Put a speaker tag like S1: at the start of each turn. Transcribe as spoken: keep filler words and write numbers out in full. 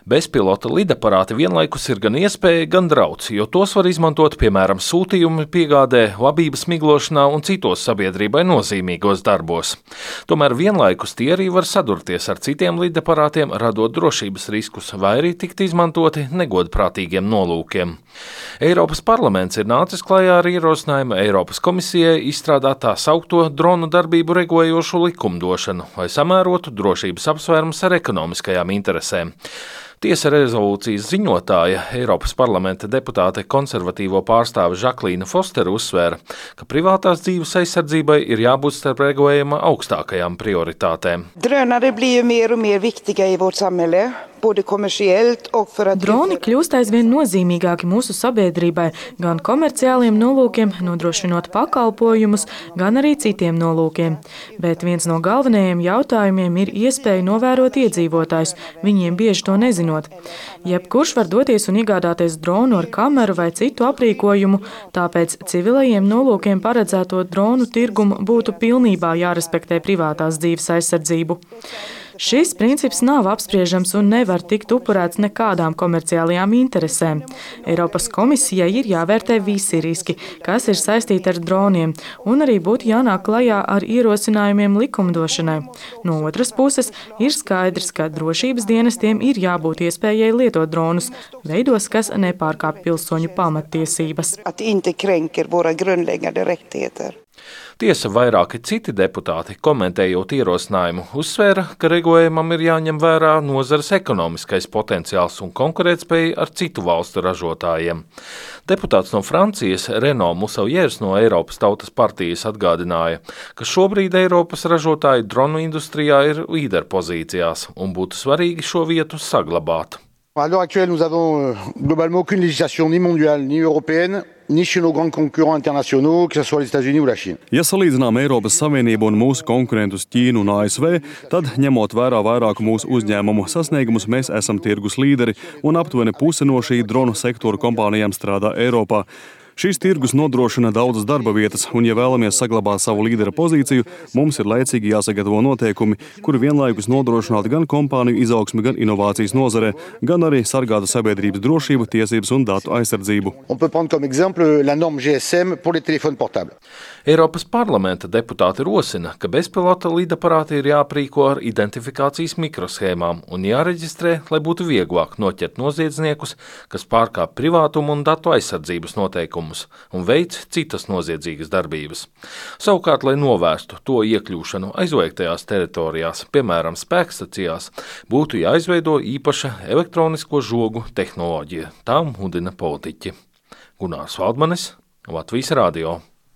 S1: Bezpilota lidaparāti vienlaikus ir gan iespēja, gan drauds, jo tos var izmantot, piemēram, sūtījumu piegādē, labības miglošanā un citos sabiedrībai nozīmīgos darbos. Tomēr vienlaikus tie arī var sadurties ar citiem lidaparātiem, radot drošības riskus, vai arī tikt izmantoti negodprātīgiem nolūkiem. Eiropas parlaments ir nācis klajā ar ierosinājumu Eiropas komisijai izstrādāt tā saukto dronu darbību regulējošu likumdošanu, lai samērotu drošības apsvērumus ar ekonomiskajām interesēm. Tiesa rezolūcijas ziņotāja, Eiropas parlamenta deputāte konservatīvo pārstāve Žaklīna Fostera uzsvēra, ka privātās dzīves aizsardzībai ir jābūt starp regulējuma augstākajām prioritātēm.
S2: Drönare blir ju mer och mer viktiga i vårt samhälle.
S3: Droni kļūst aizvien nozīmīgāki mūsu sabiedrībai, gan komerciāliem nolūkiem, nodrošinot pakalpojumus, gan arī citiem nolūkiem. Bet viens no galvenajiem jautājumiem ir iespēja novērot iedzīvotājus, viņiem bieži to nezinot. Jebkurš var doties un iegādāties dronu ar kameru vai citu aprīkojumu, tāpēc civilajiem nolūkiem paredzēto dronu tirgumu būtu pilnībā jārespektē privātās dzīves aizsardzību. Šis princips nav apspriežams un nevar tikt upurēts nekādām komerciālajām interesēm. Eiropas komisijai ir jāvērtē visi riski, kas ir saistīti ar droniem, un arī būtu jānāk klajā ar ierosinājumiem likumdošanai. No otras puses, ir skaidrs, ka drošības dienestiem ir jābūt iespējai lietot dronus veidos, kas nepārkāpj pilsoņu pamattiesības.
S1: Tiesa, vairāki citi deputāti, komentējot ierosinājumu, uzsvēra, ka regulējumam ir jāņem vērā nozares ekonomiskais potenciāls un konkurētspēja ar citu valstu ražotājiem. Deputāts no Francijas, Renaud Musauliers no Eiropas Tautas partijas atgādināja, ka šobrīd Eiropas ražotāji dronu industrijā ir līderpozīcijās un būtu svarīgi šo vietu saglabāt.
S4: À l'heure actuelle, nous avons globalement aucune législation ni mondiale ni européenne, ni chez nos grands concurrents internationaux, que ce soit les États-Unis ou la Chine.
S5: Ja salīdzinām Eiropas Savienību un mūsu konkurentus Ķīnu un A S V, tad, ņemot vērā vairāku mūsu uzņēmumu sasniegumus, mēs esam tirgus līderi un aptuveni puse no šī dronu sektora kompānijām strādā Eiropā. Šīs tirgus nodrošina daudzas darba vietas, un, ja vēlamies saglabāt savu līdera pozīciju, mums ir laicīgi jāsagatavo noteikumi, kuri vienlaikus nodrošinātu gan kompāniju izaugsmi, gan inovācijas nozarē, gan arī sargātu sabiedrības drošību, tiesības un datu aizsardzību.
S1: Eiropas parlamenta deputāti rosina, ka bezpilota lidaparāti ir jāprīko ar identifikācijas mikroshēmām un jāreģistrē, lai būtu vieglāk noķert noziedzniekus, kas pārkāp privātumu un datu aizsardzības noteikumus un veic citas noziedzīgas darbības. Savukārt, lai novērstu to iekļūšanu aizliegtajās teritorijās, piemēram, spēkstacijās, būtu jāizveido īpaša elektronisko žogu tehnoloģija. Tā mudina politiķi. Gunārs Valdmanis, Latvijas radio.